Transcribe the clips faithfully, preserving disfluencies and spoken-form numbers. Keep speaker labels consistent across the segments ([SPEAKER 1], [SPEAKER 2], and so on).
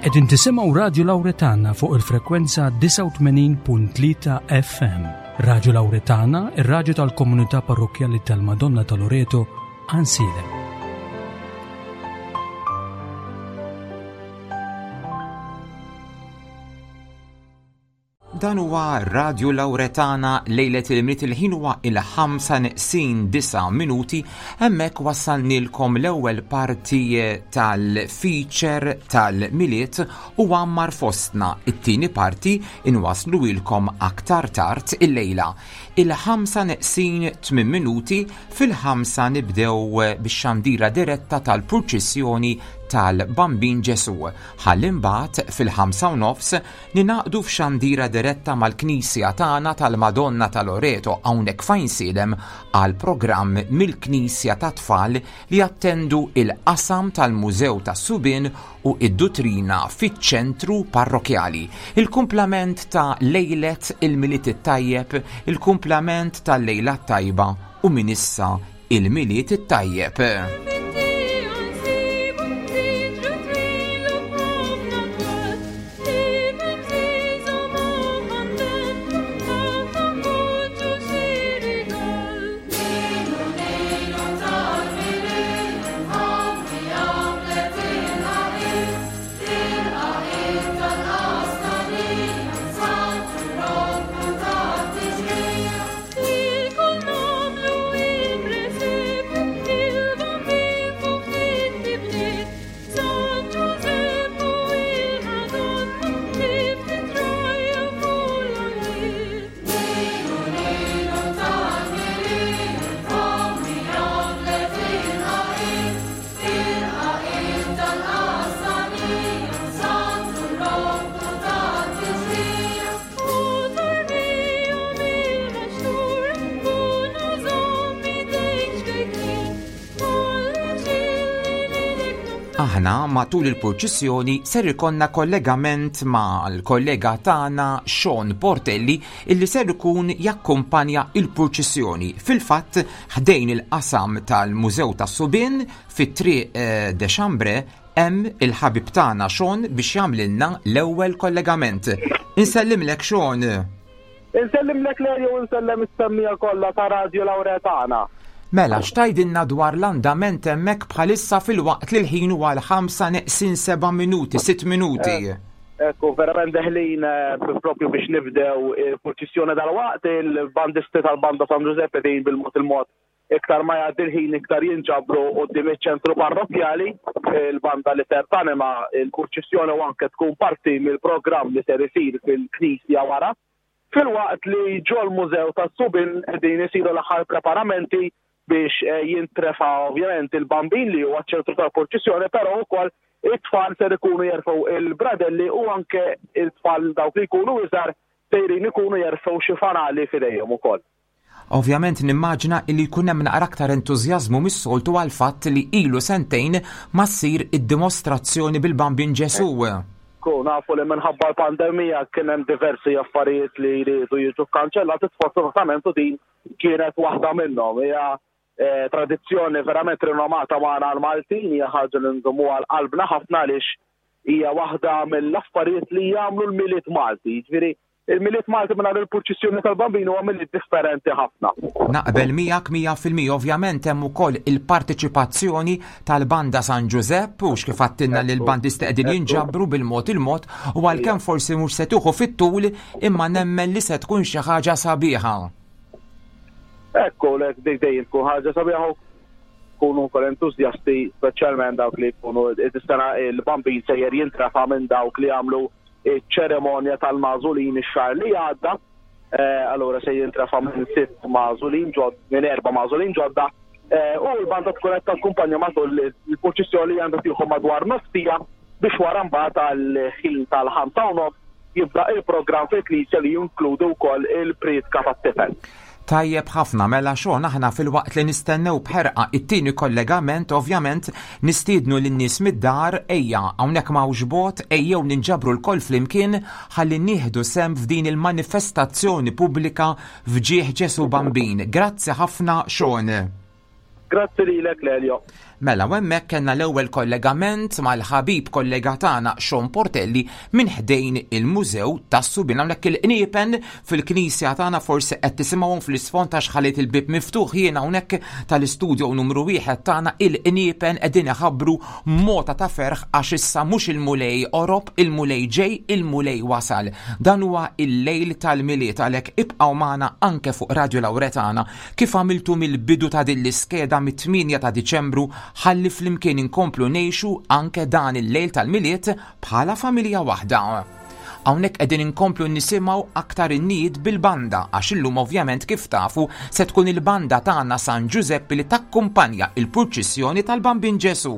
[SPEAKER 1] Qegħdin tisimgħu Radju Lawretana fuq il-frekwenza disgħa u tmenin punt tlieta F M. Radju Lawretana, ir-radju tal-komunità parrokkjali tal-Madonna ta' Loreto, Għajnsielem.
[SPEAKER 2] Dan huwa Radju Lawretana lejlet il-Milied, il-ħin huwa il-ħamsa neqsin disa' minuti. Hemmhekk wassalnilkom l-ewwel parti tal-feature tal-Milied u għammar fostna. It-tieni parti inwasluilkom aktar tard illejla. Il-ħamsa neqsin tmien minuti, fil-ħamsa nibdew bix-xandira diretta tal-purċissjoni tal-Bambin Ġesu. Ħalli mbagħad fil-ħamsa u nofs ninaqdu f'xandira diretta mal-Knisja tagħna tal-Madonna ta' Loreto hawnhekk f'Għajnsielem għal programm mill-Knisja ta' Tfal li jattendu il-qasam tal-Mużew tas-Subien u id-Dutrina fiċ-ċentru parrokjali. Il-kumplament ta' lejlet il-Milied it-tajjeb, il-kumplament tal-lejla tajba u minn issa il-Milied it-tajjeb. Aħna matul il-purċissjoni ser ikonna kollegament mal-kollega tagħna Sean Portelli illi ser ikun jakkumpanja il-purċissjoni. Fil-fatt ħdejn il-qasam tal-Mużew tas-Subien fit-triq, eh, de Chambre hemm il-ħabib tagħna Sean biex jagħmlilna l-ewwel kollegament. Insellimlek Sean.
[SPEAKER 3] Insellimlek Lelio u nsellem is-semmija kollha ta' Radio Lawretana.
[SPEAKER 2] Mela, x'tajdilna dwar l-andament hemmhekk bħalissa fil-waqt li l-ħin huwa l-ħamsa neqsin seba' minuti, sitt minuti?
[SPEAKER 3] Eh, ekku, verament deħlin, eh, propju biex nibdew il-purċissjoni dal-waqt, il-bandisti tal-Banda San Giuseppe din bil-mod il-mod iktar ma jgħaddi l-ħin iktar jinġabru quddiem iċ-ċentru parrokkjali, il-banda li ser tanima il-purċissjoni u anke tkun parti mill-programm li ser isir fil-knisja wara. Fil-waqt li ġol mużew tas-Subien qegħdin isiru l-aħħar preparamenti biex, eh, jintrefa ovvjament il-bambin li huwa ċ-ċentru tal-purċissjoni, però wkoll it-tfal ser ikunu jerfgħu il-bradelli u anke it-tfal dawk li jkunu iżgħar sejrin ikunu jerfgħu xi fanali f'idejhom ukoll.
[SPEAKER 2] Ovvjament nimmaġina li jkun hemm naqra aktar entużjażmu mis-soltu għal fatt li ilu sentejn ma ssir id-dimostrazzjoni bil-Bambin Ġesu.
[SPEAKER 3] Ku nafu li minħabba l-pandemija kien hemm diversi affarijiet li jridu jiġu kkanċellati, sfortunatament u din kienet waħda minnhom. Hija, eh, tradizzjoni verament rinomata magħna l-Maltin, hija ħaġa li nżommuha għal qalbna ħafna għaliex hija waħda mill-affarijiet li jagħmlu l-Milied Malti. Jiġifieri il-Milied Malti mingħajr il-purċissjoni tal-Bambin huwa milied differenti ħafna.
[SPEAKER 2] Naqbel miegħek mija fil-mija, ovvjament hemm ukoll il-parteċipazzjoni tal-Banda San Giuseppe u x'kif għattilna li l-bandisti qegħdin jinġabru bil-mod il-mod u għalkemm forsi mhux se tuħu fit-tul imma nemmen li se tkun xi ħaġa sabiħa.
[SPEAKER 3] Ekku, lek dik dejjem tkun ħaġa sabiħa u kunu wkoll entużjasti, speċjalment dawk li jkunu is-sena il-Bambin sejjer jintrafa' minn dawk li jagħmlu iċ-ċerimonja tal-magħżulin ix-xahar li għadda. Eh, allura se jintrafa' minn sitt magħżulin ġod, minn erba' magħżulin ġodda. Eh, u l-banda tkun qed takkumpanja matul il-purċissjoni li għandha tieħu madwar nofsija biex wara mbagħad għall-ħin tal-ħamsa u nofs jibda il-programm fil-knisja li jinkludu wkoll il-priedka tat-tifel.
[SPEAKER 2] Tajjeb ħafna, mela xogħol aħna fil-waqt li nistennew b'ħerqa it-tieni kollegament, ovvjament nistiednu lin-nies mid-dar, ejja hawnhekk m'hawnx bot, ejjew ninġabru lkoll flimkien ħalli nieħdu sehem f'din il-manifestazzjoni pubblika f'ġieħ Ġesu Bambin. Grazzi ħafna, Sean.
[SPEAKER 3] Grazzi lilek, Lelio.
[SPEAKER 2] Mela u hemmhekk kellna l-ewwel kollegament mal-ħabib kollega tagħna Sean Portelli minn ħdejn il-Mużew tas-Subien. Hawnhekk il-qniepen fil-knisja tagħna forsi qed tisimgħuhom fl-isfond għax ħallit il-bib miftuħ jiena hawnhekk tal-istudio numru wieħed tagħna, il-qniepen qegħdin iħabbru mota ta' ferħ għax issa mhux il-Mulej qorob, il-Mulej ġej, il-Mulej wasal. Dan huwa il-lejl tal-Milied, għalhekk ibqgħu magħna anke fuq Radio Lauretana kif għamiltu mill-bidu ta' din l-iskeda mit-tmienja ta' Diċembru, ħalli flimkien inkomplu ngħixu anke dan il-lejl tal-Milied bħala familja waħda. Hawnhekk qegħdin inkomplu nisimgħu aktar innijiet bil-banda għax illum ovvjament kif tafu se tkun il-banda tagħna San Ġużeppi li takkumpanja il-purċissjoni tal-Bambin Ġesu.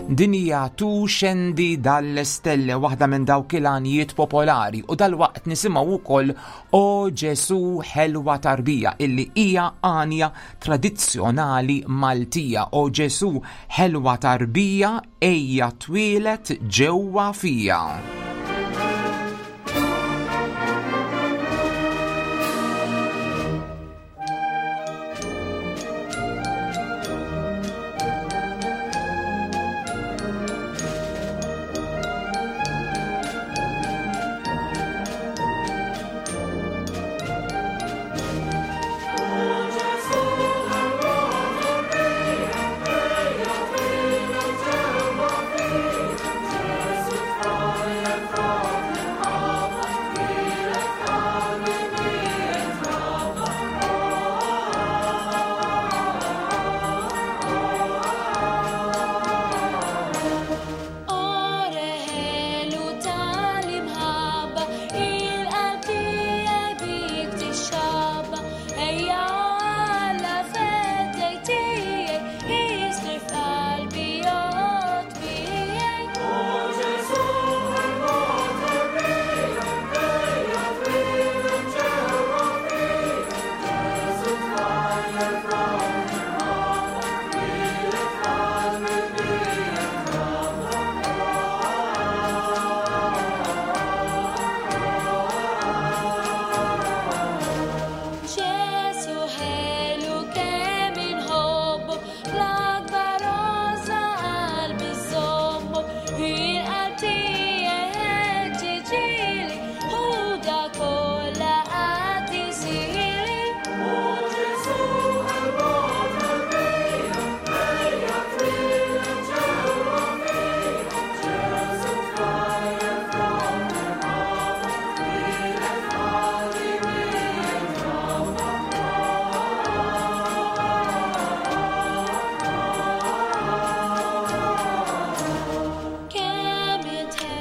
[SPEAKER 2] Din hija Tu Scendi dalle Stelle, waħda minn dawk il-għanijiet popolari, u dalwaqt nisimgħu wkoll O Ġesu Ħelwa Tarbija illi hija għanja tradizzjonali Maltija. O Ġesu Ħelwa Tarbija ejja twieled ġewwa fija.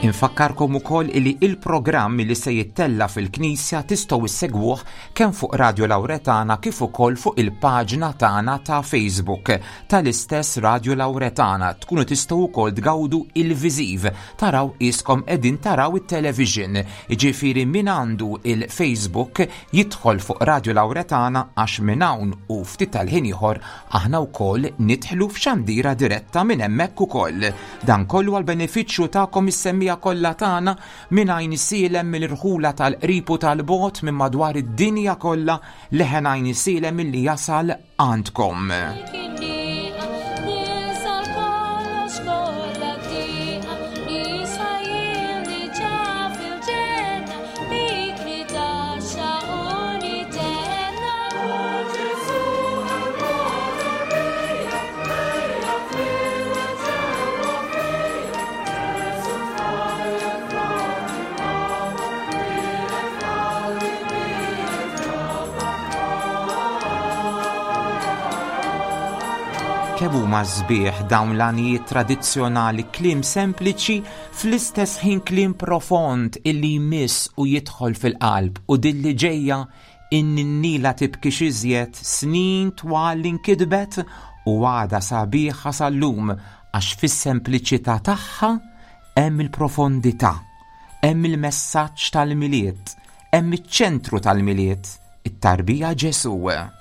[SPEAKER 2] Infakkarkom ukoll li il-programm li se jittella fil-Knisja tistgħu issegwuh kemm fuq Radio Lauretana kif ukoll fuq il-paġna tagħna ta' Facebook tal-istess Radio Lauretana. Tkunu tistgħu wkoll tgawdu il-viżiv, taraw iskom qegħdin taraw it-television. Jiġifieri min għandu il-Facebook jidħol fuq Radio Lauretana għax minn hawn u ftit tal-ħin ieħor aħna wkoll nidħlu f'xandira diretta minn hemmhekk ukoll. Dan kollu għall-benefiċċju tagħkom is-semmija kollha tagħna minn Għajnsielem, mill-irħula tal-qrib u tal-bogħod, minn madwar id-dinja kollha, leħen Għajnsielem illi jasal għandkom. Kemm huma sbieħ dawn l-għanijiet tradizzjonali, kliem sempliċi fl-istess ħin kliem profond illi jmiss u jidħol fil-qalb, u din li ġejja in-ninnila tibki iżjed snin twal li nkitbet u għadha sabiħa sal-lum għax fis-sempliċità tagħha hemm il-profondità, hemm il-messaġġ tal-Milied, hemm iċ-ċentru tal-Milied, it-tarbija Ġesu.
[SPEAKER 4] Alleluia.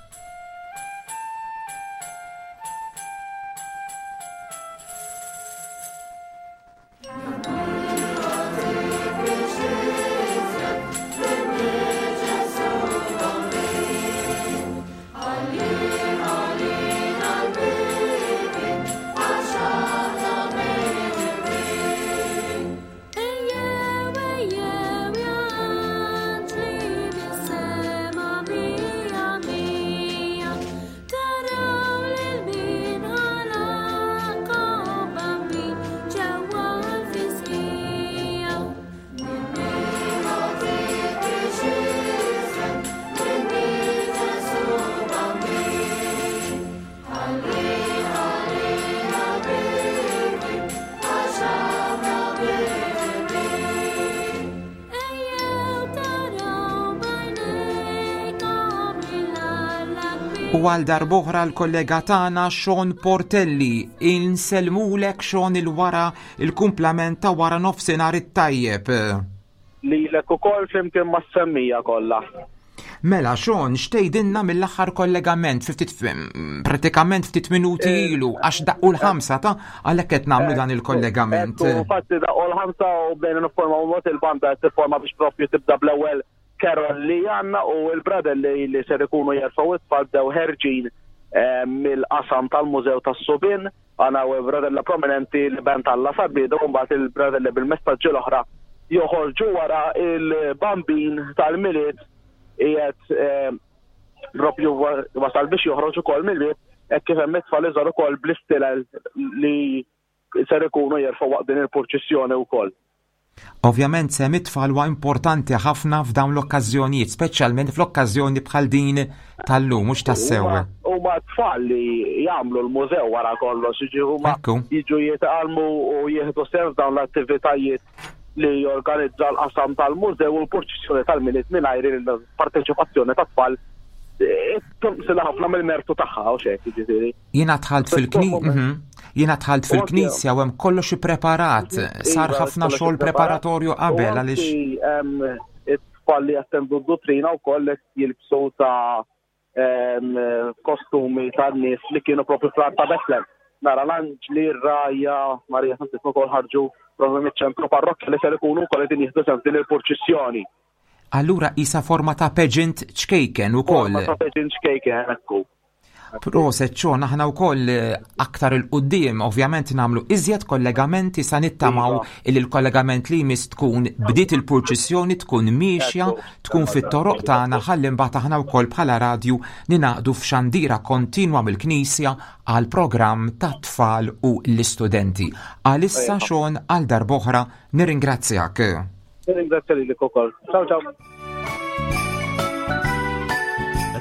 [SPEAKER 2] U għal darb'oħra l-kollega tagħna Sean Portelli, insellmulek Sean il-wara il-kumplament ta' wara nofsinhar it-tajjeb.
[SPEAKER 3] Lilek ukoll flimkien mas-semmija kollha.
[SPEAKER 2] Mela Sean, x'tgħidilna mill-aħħar kollegament fi ftit pratikament ftit minuti ilu għax daqqu l-ħamsa ta' għalhekk qed nagħmlu dan il-kollegament.
[SPEAKER 3] Infatti daqqu l-ħamsa u bdejna niffurmaw mod il-banda qed tifforma biex propju tibda bl-ewwel karol li għanna u il-bradelli li ser ikunu jerfgħu it-tfal bdew ħerġin mill-qasam tal-Mużew tas-Subien, għandna u bradella prominenti li ben tal-la sabidu, u mbagħad il-bradelli bil-messaġġi l-oħra joħorġu wara il-bambin tal-Milied qiegħed propju wasal biex joħroġ ukoll mill-bieb hekk kif hemm it-tfal iżgħar ukoll bl-istilel li ser ikunu jerfgħu waqt din il-purċissjoni wkoll.
[SPEAKER 2] Ovvjament sehem it-tfal huwa importanti ħafna f'dawn l-okkażjonijiet, speċjalment fl-okkażjoni bħal din tal-lum, mhux tassew.
[SPEAKER 3] Huma tfal li jagħmlu l-mużew wara kollox, jiġi huma jiġu jitgħallmu u jieħdu sehem f'dawn l-attivitajiet li jorganizza l-qasam tal-mużew u l-purċissjoni tal-Milied mingħajr il-parteċipazzjoni tat-tfal tonqsilha ħafna mill-mertu tagħha u xejn, jiġifieri.
[SPEAKER 2] Jiena dħalt fil-knisja, jiena dħalt fil-knisja u hemm kollox ippreparat, sar ħafna xogħol preparatorju qabel għaliex
[SPEAKER 3] it-tfal li jattendu d-duttrina wkoll qed jilbsu ta' kostumi tan-nies li kienu propju fl-art ta' Bethlehem. Nara l-anġli, r-rajja, Marija Santissima wkoll ħarġu propju miċ-ċentru parrokkja li ser ikunu wkoll qegħdin jieħdu sehem f'din il-purċissjoni.
[SPEAKER 2] Allura isa forma ta' pageant ċkejken ukoll.
[SPEAKER 3] Forma ta' pageant ċkejken, ekku.
[SPEAKER 2] Proset Sean, aħna wkoll aktar il-qudiem ovvjament nagħmlu iżjed kollegamenti sa nittamaw illi l-kollegament li jmiss tkun bdiet il-purċissjoni, tkun miexja, tkun fit-toroq tagħna ħalli mbagħad aħna wkoll bħala radju ninaqdu f'xandira kontinwa mill-Knisja għal programm tat-tfal u l-istudenti. Għalissa Sean, għal darb'oħra nirringrazzjak.
[SPEAKER 3] Nirringrazzja lilek ukoll. Ciao ciao.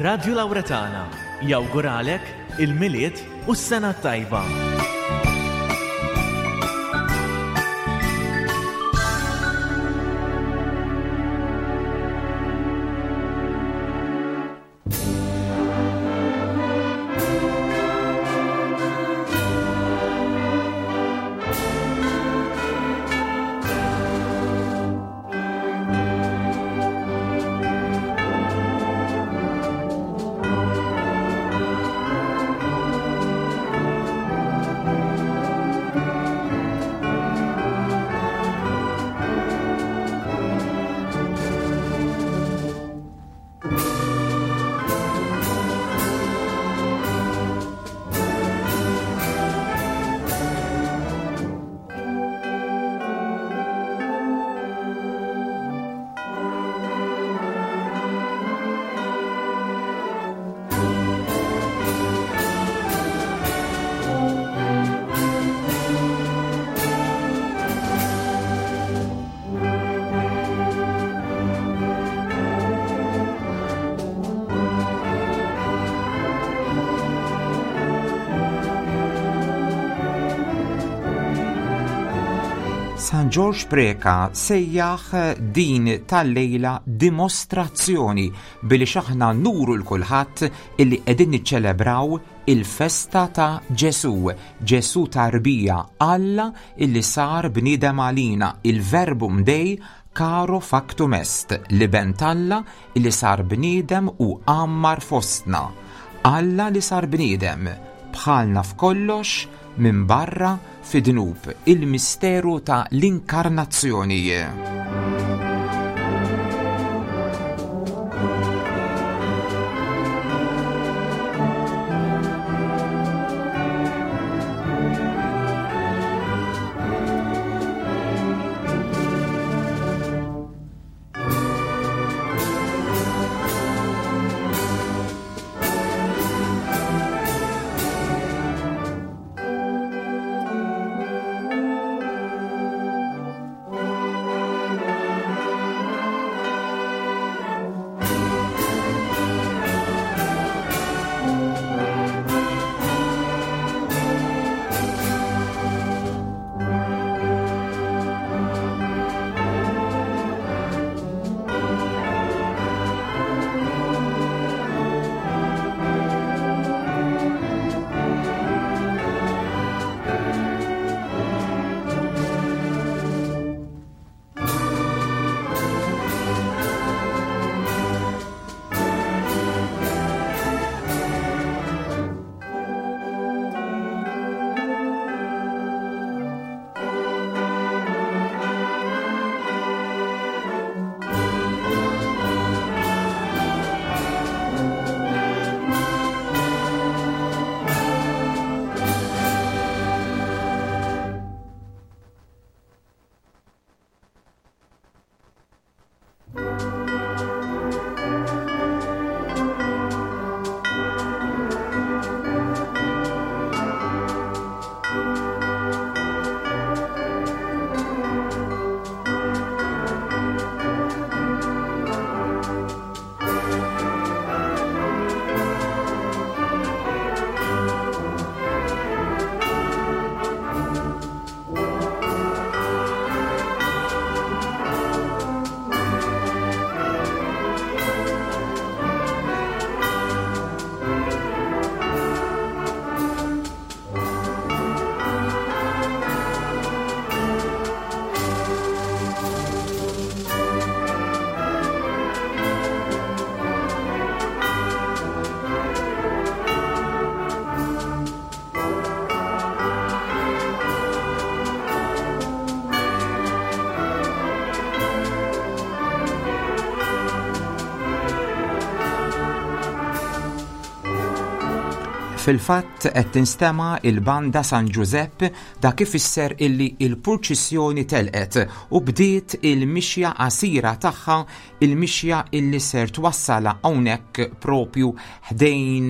[SPEAKER 4] Radio Lauretana jawguralek il-Milied u s-sena tajba.
[SPEAKER 2] San Ġorġ Preca sejjaħ din tal-lejla dimostrazzjoni billi xaħna nuru l-kulħadd illi qegħdin niċċelebraw il-festa ta' Ġesù, Ġesù tarbija, Alla illi sar bniedem għalina, il-verbum Dei caro factum est, l-iben t'Alla illi sar bniedem u għammar fostna. Alla li sar bniedem bħalna f'kollox minn barra fid-dnub, il-misteru ta' l-inkarnazzjoni. Fil-fatt qed tinstema' il-banda San Giuseppe, dak ifisser illi il-purċissjoni telqet u bdiet il-mixja qasira tagħha, il-mixja illi ser twassala hawnhekk propju ħdejn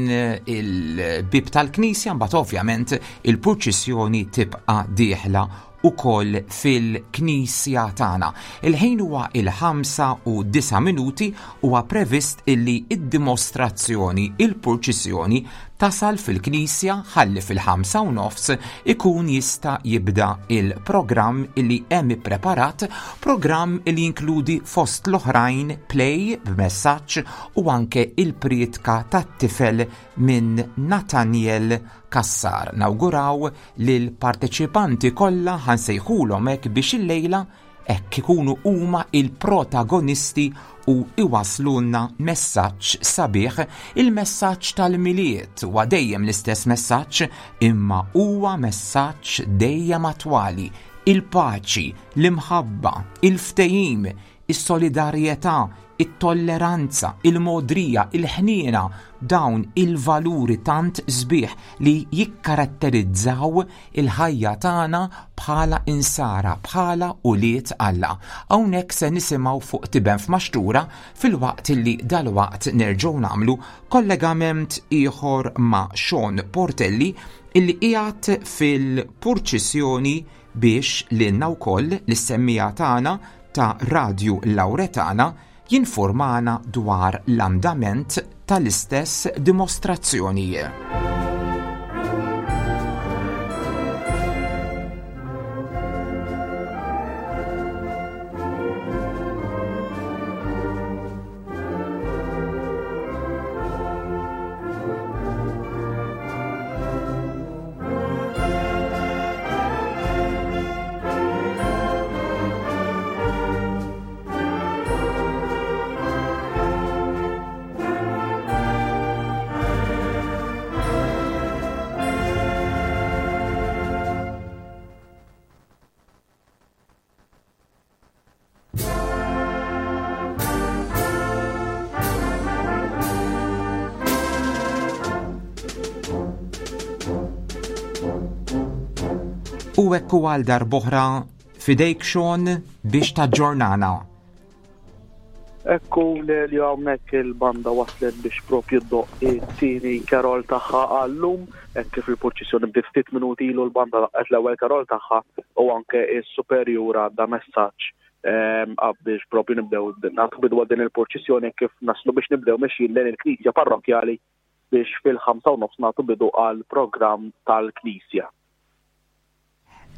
[SPEAKER 2] il-bib tal-knisja, mbagħad ovvjament il-purċissjoni tibqa' dieħla ukoll fil-knisja tagħna. Il-ħin huwa il-ħamsa u disa' minuti, huwa previst illi id-dimostrazzjoni, il-purċissjoni tasal fil-knisja ħalli fil-ħamsa u nofs ikun jista' jibda il-programm illi hemm ippreparat, programm illi jinkludi fost l-oħrajn play b'messaġġ u anke il-prietka tat-tifel minn Nathaniel Cassar. Nawguraw lil parteċipanti kollha, ħansejħulhom hekk biex illejla hekk ikunu huma il-protagonisti u iwaslulna messaġġ sabiħ, il-messaġġ tal-Milied huwa dejjem l-istess messaġġ, imma huwa messaġġ dejjem attwali: il-paċi, l-imħabba, il-ftehim, is-solidarjetà, it-tolleranza, il-modrija, il-ħniena, dawn il-valuri tant sbieħ li jikkaratterizzaw il-ħajja tagħna bħala insara, bħala ulied Alla. Hawnhekk se nisimgħu fuq Tiben f'Maxtura, filwaqt li dalwaqt nerġgħu nagħmlu kollegament ieħor ma' Sean Portelli illi qiegħed fil-purċissjoni biex lilna wkoll l-semmija tagħna ta' Radju Lauretana jinformana dwar l-andament tal-istess dimostrazzjoni. U hekk għal darb'oħra fidejk Sean biex taġġornana.
[SPEAKER 3] Ekku li hawnhekk il-banda waslet biex propju ddoqq it-tieni karol tagħha għallum, hekk kif il-purċissjoni bdiet ftit minuti ilu l-banda daqqet l-ewwel karol tagħha u anke s-superjur għadda messaġġ, ehm, biex propju nibdew nagħtu bidu din il-purċissjoni kif naslu biex nibdew mexjin lejn il-knisja parrokkjali biex fil-ħamsa u nofs nagħtu bidu għal programm tal-knisja.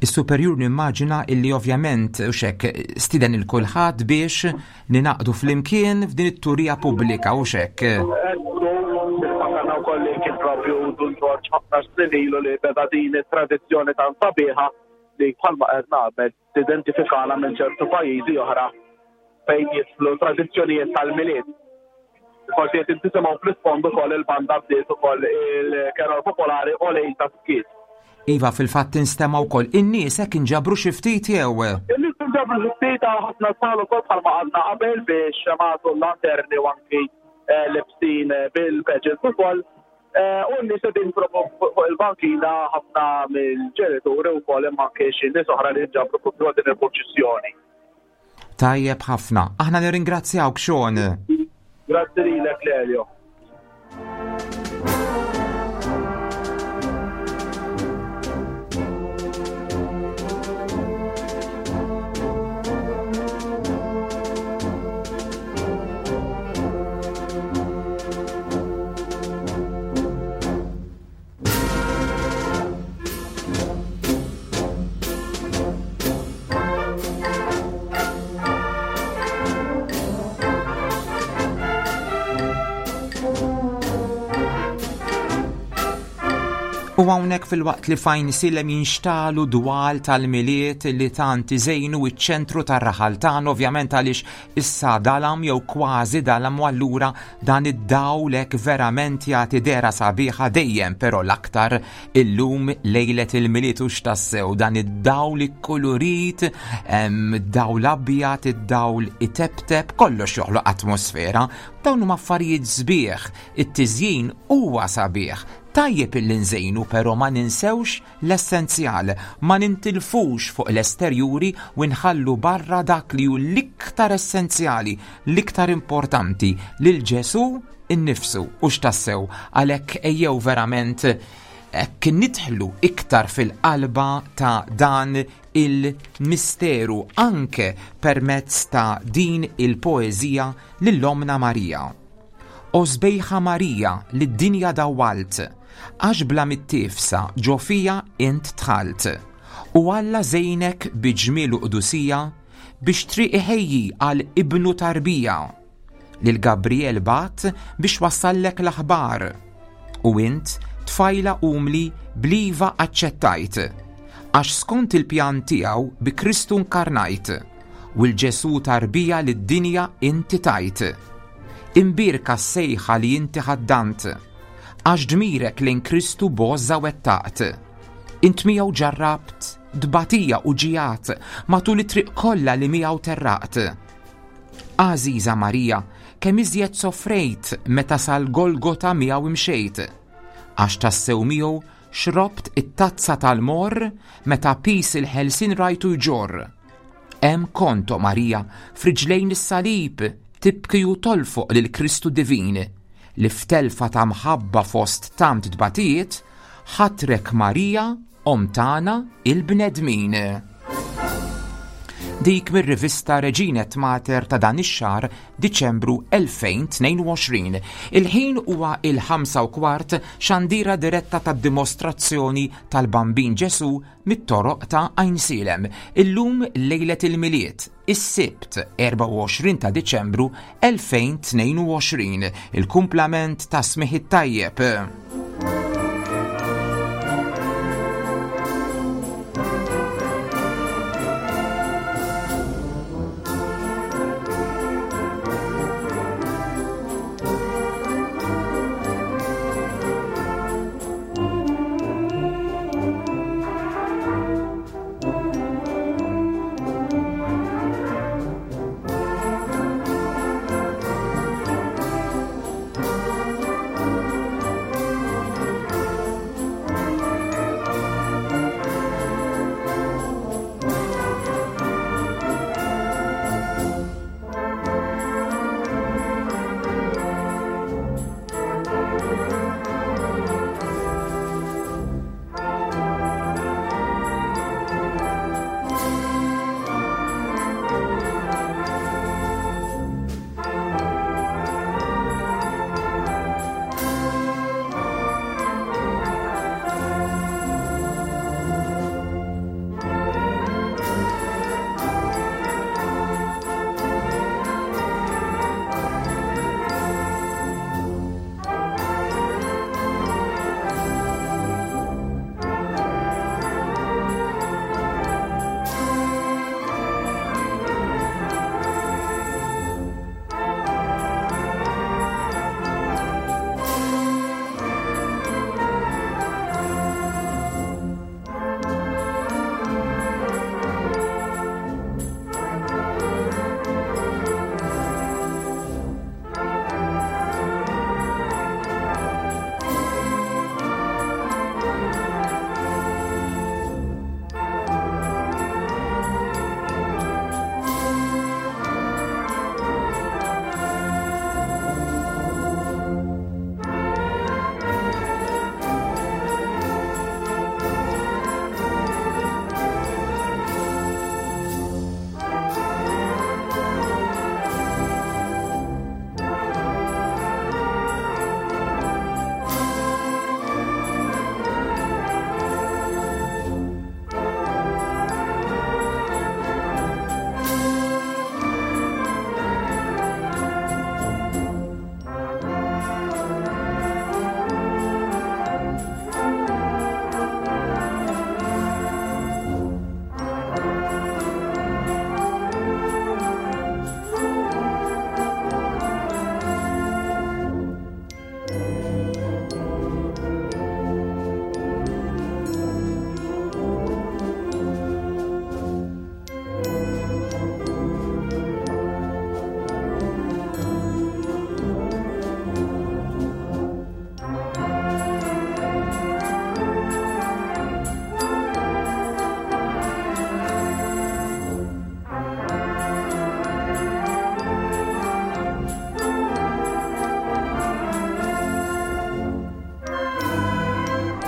[SPEAKER 2] Is-superjur nimmaġina illi ovvjament u xek stiden il-kulħadd biex ninaqdu flimkien f'din it-turija pubblika u xek.
[SPEAKER 3] Niftakar wkoll li kien propju Dun Ġorġ ħafna snin ilu li beda din it-tradizzjoni tant sabiħa li bħalma qed nagħmel tidentifikana minn ċertu pajjiżi oħra fejn jidħlu tradizzjonijiet tal-Milied. Forsi qed intisimgħu fl-isfond ukoll il-banda bdiet ukoll il-kerol popolari u lejl ta' skiet.
[SPEAKER 2] Iva, fil-fatt instema' wkoll in-nies hekk inġabru xi ftit jew?
[SPEAKER 3] In-nies inġabru xi ftit għal ħafna tfal ukoll bħalma għadna qabel biex magħtu l-lanterni u anki, eh, lebsin bil-pageants ukoll. Eh, u n-nies qegħdin fuq il-bankina ħafna mill-ġenituri wkoll imma anke xi nies oħra li nġabru propju għal din il-purċissjoni.
[SPEAKER 2] Tajjeb ħafna. Aħna nirringrazzjawk Sean.
[SPEAKER 3] Grazzi lilek Lelio.
[SPEAKER 2] U hawnhekk fil-waqt li fajn silem jinxtalu dwal tal-Milied li tant iżejnu iċ-ċentru tar-raħal tagħna, ovvjament għaliex issa dalam jew kważi dalam, u allura dan id-dawl hekk verament jagħti dehra sabiħa dejjem, però l-aktar illum lejlet il-Milied u x'tassew dan id-dawl ikkulurit, hemm dawl abjad, id-dawl iteptep, kollox joħloq atmosfera. Dawn huma affarijiet sbieħ, it-tiżjin huwa sabiħ. Tajjeb illi nżejnu però ma ninsewx l-essenzjal, ma nintilfux fuq l-esterjuri u nħallu barra dak li hu l-iktar essenzjali, l-iktar importanti, lil Ġesù innifsu u x'tassew għalhekk ejjew verament hekk nidħlu iktar fil-qalba ta' dan il-misteru anke permezz ta' din il-poeżija lil Omna Marija. O sbejħa Marija li d-dinja dawwalt, għax bla mittifsa ġo fija int dħalt, u Alla żejnek bi ġmiel u qdusija biex triq iħejji għal ibnu tarbija. Lil Gabriel bat biex wassallek l-aħbar, u int tfajla umli bliva aċċettajt, għax skont il-pjan tiegħu bi Kristu nkarnajt, u l-Ġesù tarbija lid-dinja inti tajt. Imbierka s-sejħa li inti ħaddant, għax dmirek lejn Kristu b'għożża wettaqt. Int miegħu ġarrabt tbatija u ġijat matul it-triq kollha li miegħu terraqt. Għażiża Marija, kemm iżjed soffrejt meta sal-Golgota miegħu imxejt, għax tassew miegħu xrobt it-tazza tal-morr meta pis il-ħelsien rajtu jġorr. Hemm kont, o Marija, f'riġlejn is-salib tibki u tolfoq lil Kristu divin, li f'telfa ta' mħabba fost tant tbatijiet, ħatrek Marija, omm tagħna il-bnedmin. Dik mir-rivista Regina et Mater ta' dan ix-xahar Diċembru elfejn tnejn u għoxrin. Il-ħin huwa il-ħamsa u kwart xandira diretta tad-dimostrazzjoni tal-Bambin Ġesù mit-toroq ta' Għajnsielem. Illum lejlet il-Milied, is-Sibt erbgħa u għoxrin ta' Diċembru elfejn tnejn u għoxrin. Il-kumplament ta' Smigħ it-Tajjeb.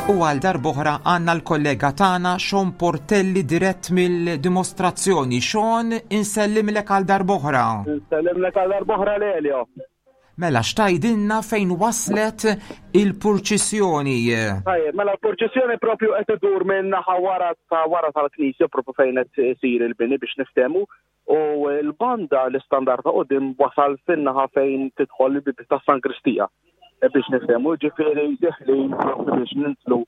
[SPEAKER 2] U għal darb'oħra għandna l-kollega tagħna Sean Portelli dirett mill-dimostrazzjoni. Sean, insellimlek għal darb'oħra.
[SPEAKER 3] Insellimlek għal darb'oħra Lelio.
[SPEAKER 2] Mela, x'tgħidilna fejn waslet il-purċissjoni?
[SPEAKER 3] Tajjeb, mela l-purċissjoni propju qed idur minn naħa wara ta' wara tal-knisja propju fejn qed isir il-bini biex niftehmu. U l-banda l-istandard ta' quddiem wasal fin-naħa fejn tidħol il-bieb ta' San Kristija. Biex niftehmu, ġifieri deħlin propju biex nintlu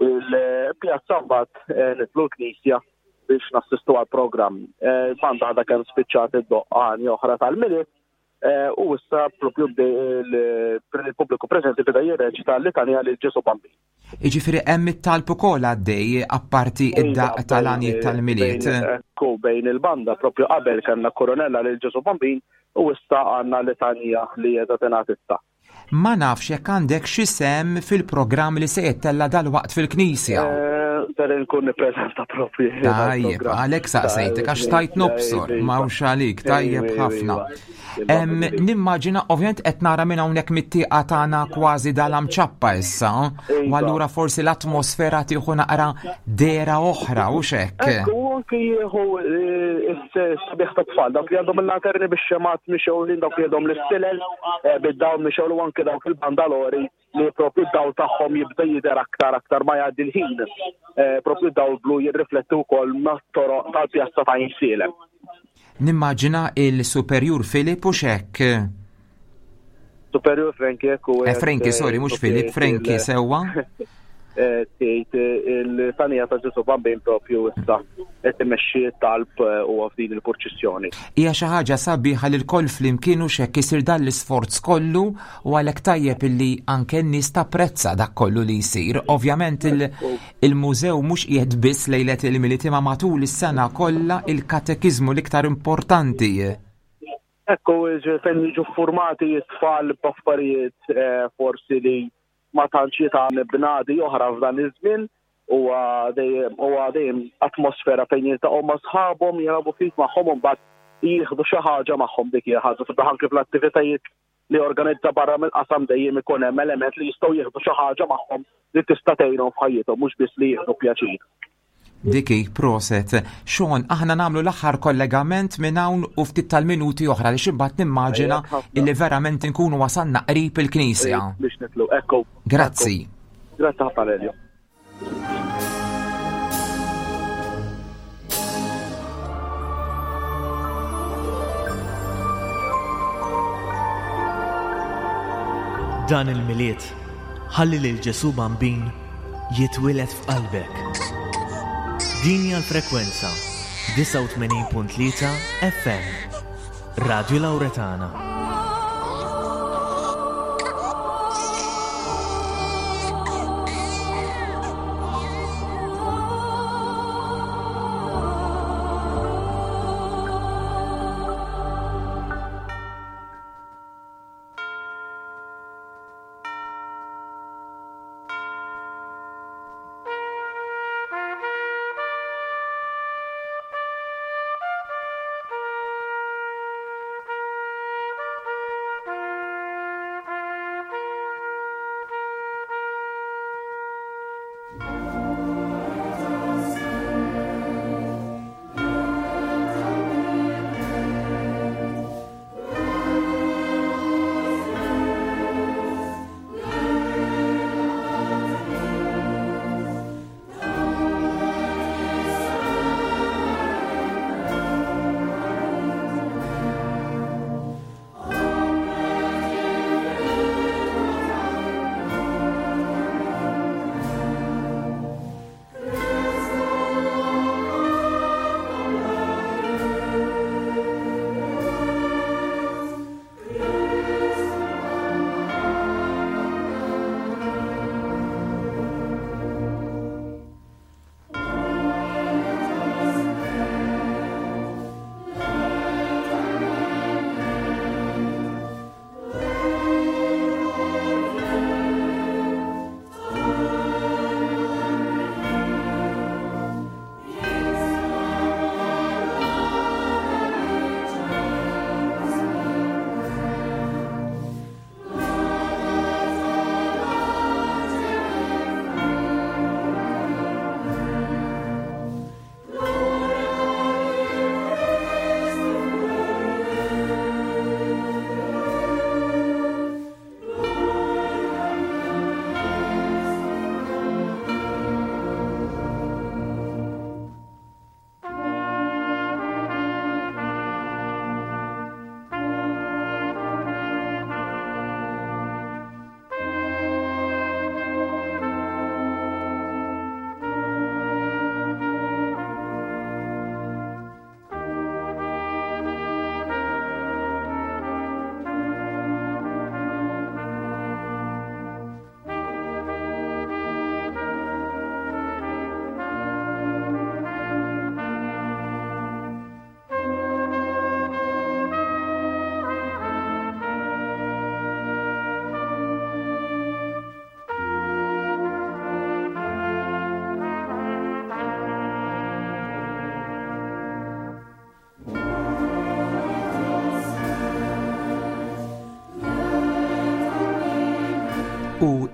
[SPEAKER 3] il-pjazza mbagħad nitlu l-knisja biex nassistu għall-programm. Il-banda għadha kemm spiċċat id-doqqani oħra tal-Milied, u issa propju il-pubbliku preżenti beda jirreċita l-litanija lil Ġesu Bambin.
[SPEAKER 2] Jiġifieri hemm it-talb ukoll għaddej apparti id-daqq tal-għanijiet tal-Milied.
[SPEAKER 3] Ekku bejn il-banda propju qabel kellna koronella lil Ġesu Bambin u issa għandna litanija li qiegħda tingħad issa.
[SPEAKER 2] Ma nafx jekk għandek xi sem fil-programm li se jittella' dalwaqt fil-knisja.
[SPEAKER 3] Ser inkun nippreżenta propju.
[SPEAKER 2] Tajjeb, għalhekk saqsejtek għax tajt nobsor, m'hawnx għalik, tajjeb ħafna. Nimmaġina ovvjament qed nara minn hawnhekk mit-tieqa tagħna kważi dalam ċappa issa, u allura forsi l-atmosfera tieħu naqra dera oħra u x'hekk.
[SPEAKER 3] Ekku, anki jieħu s-sabiħ ta' tfal, dawk li għandhom il-lanterni bix-xemat mixgħulin, dawk li għandhom l-istilel bid-dawl mixgħul u anke dawk il-bandalori li propju d-dawl tagħhom jibda jidher aktar aktar ma jgħaddi l-ħin. Propju d-dawl blu jirrifletti wkoll mat-toroq tal-pjazza ta' Għajnsielem.
[SPEAKER 2] Nimmaġina il-Superjur Filip u x'hekk.
[SPEAKER 3] Superjur Frenki ekku.
[SPEAKER 2] Eh, Frenki, sorry, mhux Filip, Frenki sewwa.
[SPEAKER 3] Tgħid il-tanija ta' Ġesu Bambin propju issa qed imexxi t-talb u f'din il-purċissjoni.
[SPEAKER 2] Hija xi ħaġa sabiħa li l-koll flimkien u x'hekk isir dan l-isforz kollu u għalhekk tajjeb illi anke n-nies tapprezza dak kollu li jsir. Ovvjament il-mużew mhux qiegħed biss lejlet il-Milied imma matul is-sena kollha il-katekiżmu l-iktar importanti.
[SPEAKER 3] Ekku, fejn jiġu formati t-tfal b'affarijiet forsi li ma tantx jitgħan bnadi oħra f'dan iż-żmien, huwa dejjem huwa dejjem atmosfera fejn jiltaqgħu ma' sħabhom, jilagħbu ftit magħhom u mbagħad jieħdu xi ħaġa magħhom dik hija ħaġa sabiħ anke fl-attivitajiet li organizza barra mill-qasam dejjem ikun hemm element li jistgħu jieħdu xi ħaġa magħhom li tista' tgħinhom f'ħajjithom mhux biss li jieħdu pjaċir.
[SPEAKER 2] Diki, proset. Sean, aħna nagħmlu l-aħħar kollegament minn hawn u ftit tal-minuti oħra li x'imbagħad nimmaġina illi verament inkunu wasalna qrib il-knisja.
[SPEAKER 3] Biex nitlu, ekku.
[SPEAKER 2] Grazzi.
[SPEAKER 3] Grazzi ħafna Lelio.
[SPEAKER 4] Dan il-Milied ħalli lil Ġesu Bambin jitwieled f'qalbek. Din hija l-frekwenza disgħa u tmenin punt tlieta F M, Radio Lauretana.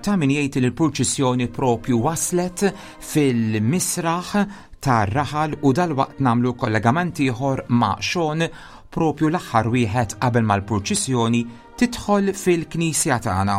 [SPEAKER 2] Ta' min jgħid li l-purċissjoni propju waslet fil-misraħ tar-raħal u dalwaqt nagħmlu kollegament ieħor ma' Sean propju l-aħħar wieħed qabel mal-purċissjoni tidħol fil-knisja tagħna.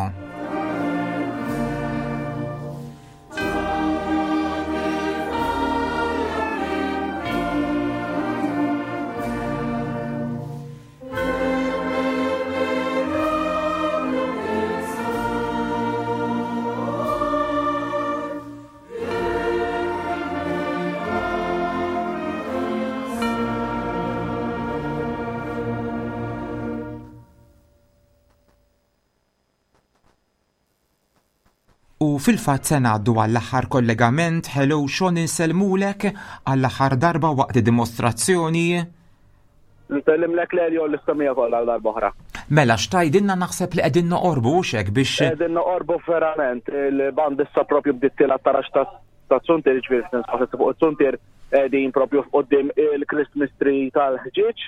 [SPEAKER 2] U fil-fatt se ngħaddu għall-aħħar kollegament, hello Sean, insellmulek għall-aħħar darba waqt id-dimostrazzjoni.
[SPEAKER 3] Nsellimlek Lelio l-istamija kollha għal darba oħra.
[SPEAKER 2] Mela x'tajdilna, naħseb li qegħdin noqorbu hux hekk biex
[SPEAKER 3] Qegħdin noqorbu verament, il-band issa propju bdiet tilgħat tarax ta' zuntier, ġifieri tinsab fuq iz-zuntier, qegħdin propju quddiem il-Christmas tree tal-ħġieġ.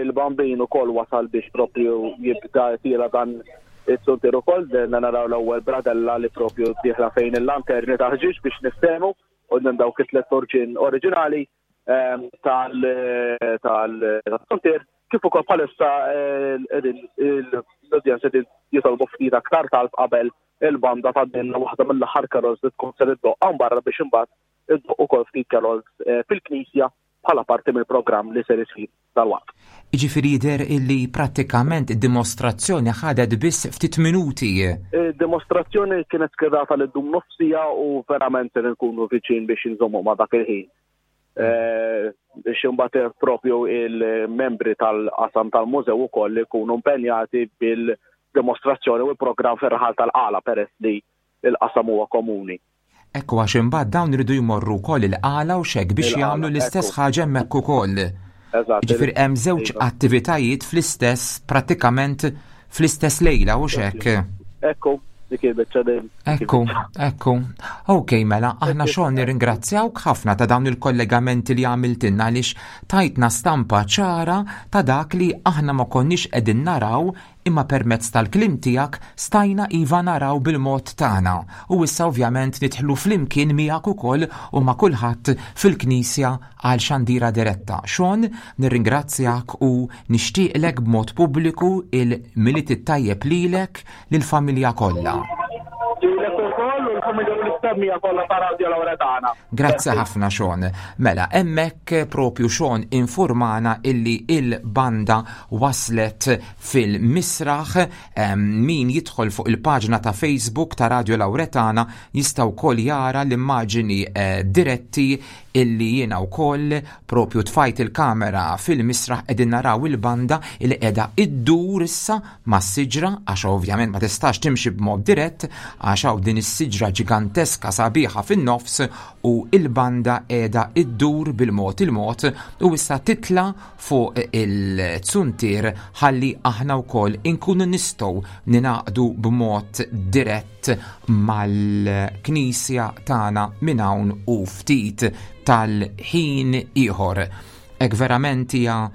[SPEAKER 3] Il-bambin ukoll wasal biex propju jibda tila dan iz-zuntier ukoll, dejna naraw l-ewwel bradella li propju dieħla fejn il-lanterni ta' ħġieġ biex niftehmu u dawk it-tliet torġin oriġinali tal-zuntier, kif ukoll bħalissa l-udjenza qegħdin jitolbu ftit aktar talb qabel il-banda tgħaddilna waħda mill-aħħar carols li tkun ser iddoqq hawn barra biex imbagħad iddoqq ukoll ftit carols fil-knisja bħala parti mill-programm li ser isir dal-waqt.
[SPEAKER 2] Jiġifieri jidher illi prattikament id-dimostrazzjoni ħadet biss ftit minuti.
[SPEAKER 3] Id-dimostrazzjoni kienet skedata li ddum nofsija u verament ser nkunu viċin biex inżommu ma' dak il-ħin. Biex imbagħad propju il-membri tal-qasam tal-mużew ukoll ikunu impenjati bil-dimostrazzjoni u l-programm fir-raħal tal-Qala peress li l-qasam huwa komuni.
[SPEAKER 2] Ekku, għax imbagħad dawn iridu jmorru wkoll il-Qala u xek biex
[SPEAKER 3] Il-Qala,
[SPEAKER 2] jagħmlu l-istess
[SPEAKER 3] ekku.
[SPEAKER 2] ħaġa hemmhekk ukoll.
[SPEAKER 3] Eżatt.
[SPEAKER 2] Jiġifieri hemm żewġ
[SPEAKER 3] Iva.
[SPEAKER 2] attivitajiet fl-istess, prattikament fl-istess lejla u xek.
[SPEAKER 3] Ekku, dik il-biċċa din.
[SPEAKER 2] Ekku, ekku. Ok, mela, aħna xogħol nirringrazzjawk ħafna ta' dawn il-kollegamenti li għamiltilna għaliex tajtna stampa ċara ta' dak li aħna ma konniex qegħdin naraw imma permezz tal-kliem tiegħek stajna iva naraw bil-mod tagħna. U issa ovvjament nidħlu flimkien miegħek ukoll u ma' kulħadd fil-knisja għal xandira diretta. Sean, nirringrazzjak u nixtieqlek b'mod pubbliku il-Milied it-tajjeb lilek lill-familja kollha.
[SPEAKER 3] Lilek ukoll u l-familja u l-istemija kollha ta' Radio Lauretana.
[SPEAKER 2] Grazzi ħafna Sean. Mela, hemmhekk propju Sean informana illi il-banda waslet fil-misraħ. Em, min jidħol fuq il-paġna ta' Facebook ta' Radio Lauretana jista' wkoll jara l-immaġini, eh, diretti illi jiena wkoll propju tfajt il-kamera fil-misraħ, qegħdin naraw il-banda illi qiegħda iddur issa mas-siġra, għax ovvjament ma tistax timxi b'mod dirett għax hawn din is-siġra ġiganteska sabiħa fin-nofs u il-banda qiegħda iddur bil-mod il-mod u issa titla fuq il-zuntier ħalli aħna wkoll inkunu nistgħu ninaqdu b'mod dirett mal-knisja tagħna minn hawn u ftit tal-ħin ieħor. Hekk verament hija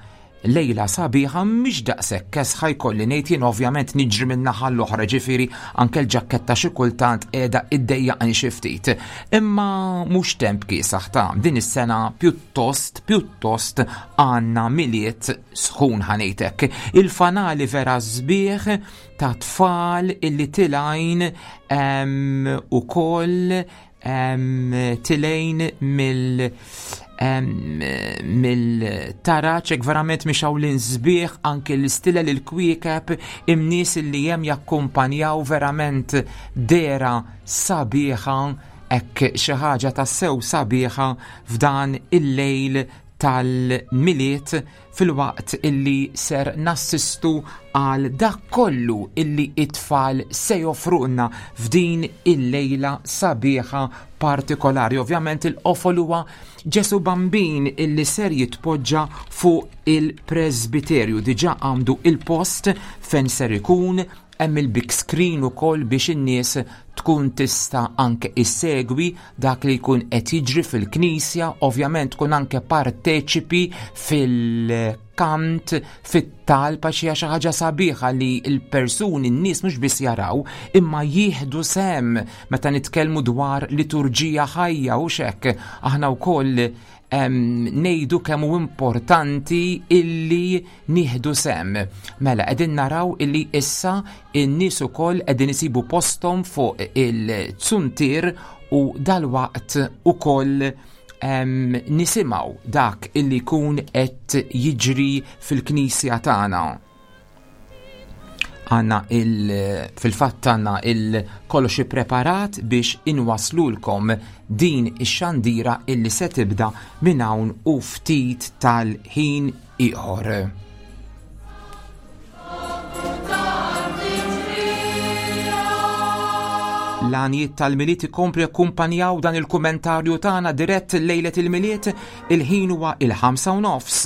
[SPEAKER 2] lejla sabiħa, mhix daqshekk kesħa jkolli ngħid jien, ovvjament niġri minn naħa l-oħra, ġifieri anke l-ġakketta xi kultant qiegħda iddejjaqni xi ftit. Imma mhux temp kiesaħ ta' din is-sena, pjuttost, pjuttost għandna Milied sħun ħanejtek. Il-fanali vera sbieħ ta' tfal illi tilgħin, em, ukoll, em, tilgħin mill, em, mill-taraċ, hekk verament mhix hawn l-insbieħ, anke l-istilla l-kwiekeb, imnies li hemm jakkumpanjaw verament dera sabiħa, hekk xi ħaġa tassew sabiħa f'dan il-lejl tal-Milied, filwaqt illi ser nassistu għal dak kollu illi it-tfal se joffrulna f'din il-lejla sabiħa partikolari. Ovvjament il-qofol huwa Ġesu Bambin illi ser jitpoġġa fuq il-presbiterju. Diġà għandu il-post fejn ser ikun, hemm il-big screen ukoll biex in-nies Tkun tista' anke issegwi dak li jkun qed jiġri fil-knisja, ovvjament tkun anke parteċipi fil-kant, fit-talb, għax hija xi ħaġa sabiħa li l-persuni, n-nies mhux biss jaraw, imma jieħdu sehem meta nitkellmu dwar liturġija ħajja u xek. Aħna wkoll ngħidu kemm hu importanti illi nieħdu sehem. Mela qegħdin naraw illi issa in-nies ukoll qegħdin isibu posthom fuq il-zuntier u dalwaqt ukoll nisimgħu dak illi jkun qed jiġri fil-knisja tagħna. Għandna il fil-fatt għandna il kollox ippreparat biex inwaslulkom din ix-xandira illi se tibda minn hawn u ftit tal-ħin ieħor. L-għanijiet tal-Milied ikomplu jakkumpanjaw dan il-kummentarju tagħna dirett lejlet il-Milied, il-ħin huwa il-ħamsa u nofs.